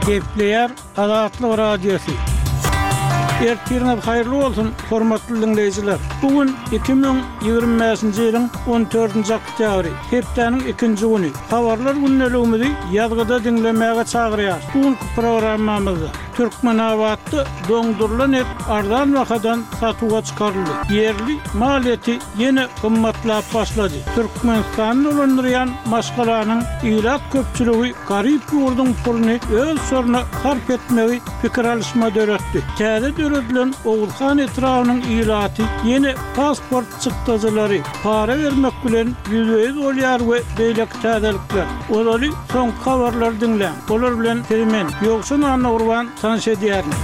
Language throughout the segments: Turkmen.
Gepleýär Azatlyk Radiosy. Ertiriňiz haýyrly bolsun, hormatly diňleýjiler! Bu gün 2025-nji ýylyň on dördünji oktýabry, hepdäniň ikinji güni. Habarlar gündeligimizi ýazgyda diňlemäge çagyrýarys. Bu günki programmamyzda Türkmenabatda doňdurylan et arzan bahadan satuwa çykaryldy. Ýerli mal eti ýene gymmatlap başlady. Türkmenistany dolandyrýan maşgalanyň ilat köpçüligi garyp ýurduň puluny öz şoruna sarp etmegi pikir alyşma döretdi. Täze döredilen Oguzhan etrabynyň ilaty ýene pasport çykdajylary, para bermek bilen ýüzbe-ýüz bolýar we beýleki täzelikler. Ozaly soňky habarlary diňläň. Olar bilen sizi men, Ýowşan Annagurban tanyş edýärin.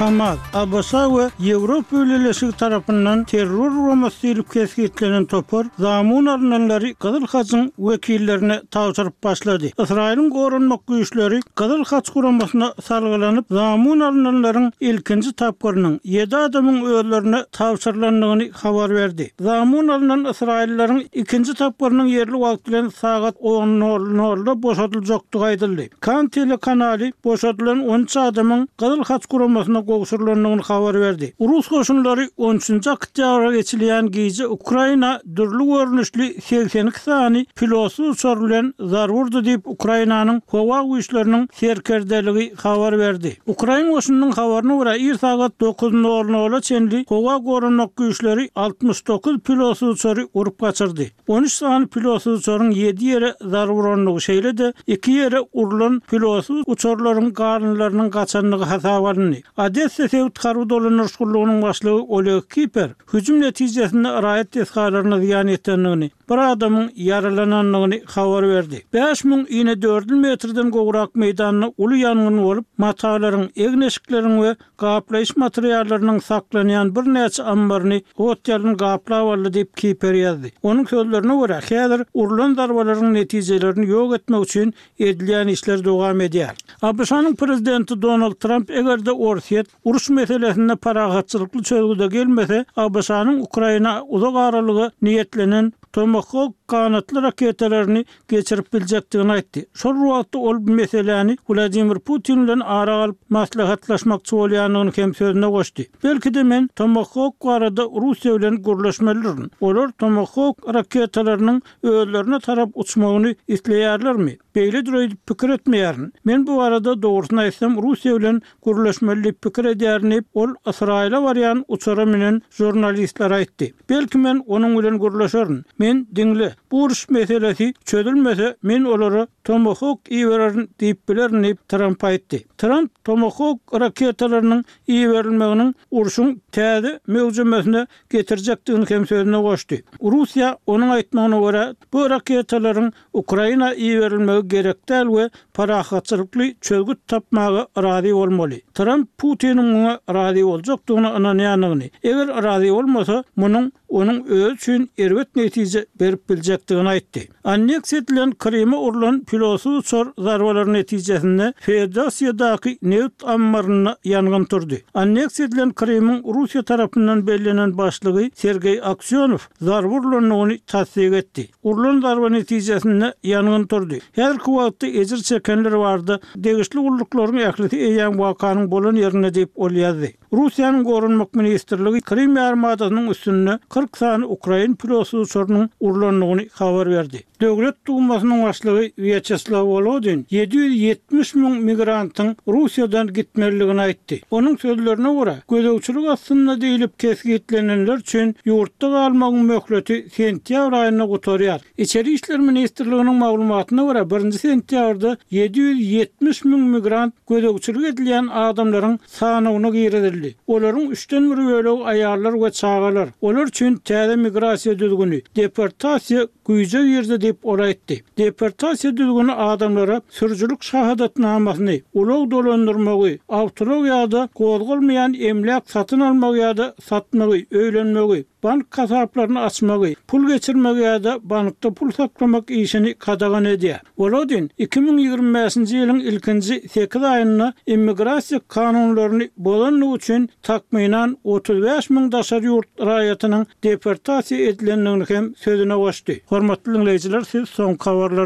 Hamas, ABŞ we Ýewropa Bileleşigi tarapyndan terror guramasy diýlip kesgitlenen topar zamun alynanlary Gyzyl Hajyň wekillerine tabşyryp başlady. Ysraýylyň goranmak güýçleri Gyzyl Haç guramasyna salgylanyp, zamun alynanlaryň ilkinji tapgyrynyň, ýedi adamyň özlerine tabşyrylandygyny habar berdi. Zamun alnan ysraýyllylaryň ikinji tapgyrynyň ýerli wagt bilen sagat on nol nolda boşadyljakdygy aýdyldy. Kan telekanaly boşadylan on üç adamyň Gyzyl Haç guramasyna gowşurylandygyny habar berdi. Rus goşunlary on üçünji oktýabra geçilýän gije Ukraina dürli görnüşli 82 sany pilotsyz uçar bilen zarba urdy diýip, Ukrainanyň Howa güýçleriniň serkerdeligi habar berdi. Ukrain goşunynyň habaryna görä, ir sagat dokuz nol nola çenli howa goranmak güýçleri 69 pilotsyz uçary urup gaçyrdy. On üç sany pilotsyz uçaryň ýedi ýere zarba urandygy, şeýle-de iki ýere urlan pilotsyz uçarlaryň galyndylarynyň gaçandygy hasaba alyndy. Odessa sebit harby dolandyryş gullugynyň başlygy Oleg Kiper hüjüm netijesinde raýat desgalaryna zyýan ýetendigini, bir adamyň ýaralanandygyny habar berdi. 5000 inedördül metrden gowrak meýdanda uly ýangyn bolup, matalaryň, egin-eşikleriň we gaplaýyş materiallarynyň saklanýan birnäçe ammaryny ot-ýalyn gaplap aldy diýip, Kiper ýazdy. Onuň sözlerine görä, häzir urlan zarbalaryň netijelerini ýok etmek üçin edilýän işler dowam edýär. ABŞ-nyň prezidenti Donald Tramp eger-de Orsýet uruş meselesinde parahatçylykly çözgüde gelmese, ABŞ-nyň Ukraina uzak aralyga niýetlenen Tomahawk ganatly raketalaryny geçirip biljekdigini aýtdy. Şol bir wagtda ol bu meseläni Wladimir Putin bilen ara alyp maslahatlaşmakçy bolýandygyny hem sözüne goşdy. Belki-de men Tomahawk barada Russiýa bilen gürleşmelidirin. Olar Tomahawk raketalarynyň özlerine tarap uçmagyny isleýärlermi? Beýledir öýdüp pikir etmeýärin. Men bu barada dogrusyny aýtsam Russiýa bilen gürleşmeli diýip pikir edýärin diýip, ol Ysraýyla barýan uçara münen žurnalistlere aýtdy. Belki men onuň bilen gürleşerin. Men, diňle, bu uruş meselesi çözülmese, men olara Tomahawk ibererin diýip bilerin diýip, Tramp aýtdy. Tramp Tomahawk raketalarynyň iberilmeginiň urşuň täze möwjemesine getirjekdigini hem sözüne goşdy. Russiýa, onuň aýtmagyna görä, bu raketalaryň Ukraina iberilmegi gerek däl we parahatçylykly çözgüt tapmaga razy bolmaly. Tramp Putiniň muňa razy boljakdygyna ynanýandygyny, eger razy bolmasa, munuň onuň özi üçin erbet netije berip biljekdigini aýtdy. Anneksiýa edilen Kryma urlan pilotsyz uçar zarbalary netijesinde Feodosiýadaky nebit ammarynda ýangyn turdy. Anneksiýa edilen Krymyň Russiýa tarapyndan bellenen başlygy Sergeý Aksýonow zarba urlandygyny tassyk etdi. Urlan zarba netijesinde ýangyn turdy. Häzirki wagtda ejir çekenler barada degişli gulluklaryň ählisi eýýäm wakanyň bolan ýerinde diýip, ol ýazdy. Russiýanyň Goranmak ministrligi Krym ýarymadasynyň üstünde 40 sany ukrain pilotsyz uçarynyň urlandygyny habar berdi. Döwlet Dumasynyň başlygy Wýaçeslaw Wolodin 770 müň migrantyň Russiýadan gitmelidigini aýtdy. Onuň sözlerine görä, gözegçilik astynda diýlip kesgitlenenler üçin ýurtda galmagyň möhleti sentýabr aýynda gutarýar. Içeri işler ministrliginiň maglumatyna görä, birinji sentýabrda 770 müň migrant gözegçilik edilýän adamlaryň sanawyna girizildi. Olaryň üçden bir bölegi aýallar we çagalar. Olar üçin täze migrasiýa düzgüni, deportasiýa güýje girdi diýip, ol aýtdy. Deportasiýa düzgüni adamlara sürüjilik şahadatnamasyny, ulag dolandyrmagy, awtoulag ýa-da gozgalmaýan emläk satyn almagy ýa-da satmagy, öýlenmegi, bank hasaplaryny açmagy, pul geçirmegi ýa-da bankda pul saklamak işini gadagan edýär. Wolodin 2025-nji ýylyň ilkinji sekiz aýynda immigrasiýa kanunlaryny bozandygy üçin takmynan 35 müň daşary ýurt raýatynyň deportasiýa edilendigini hem sözüne goşdy. Hormatly diňleýjiler, siz soňky habarlary.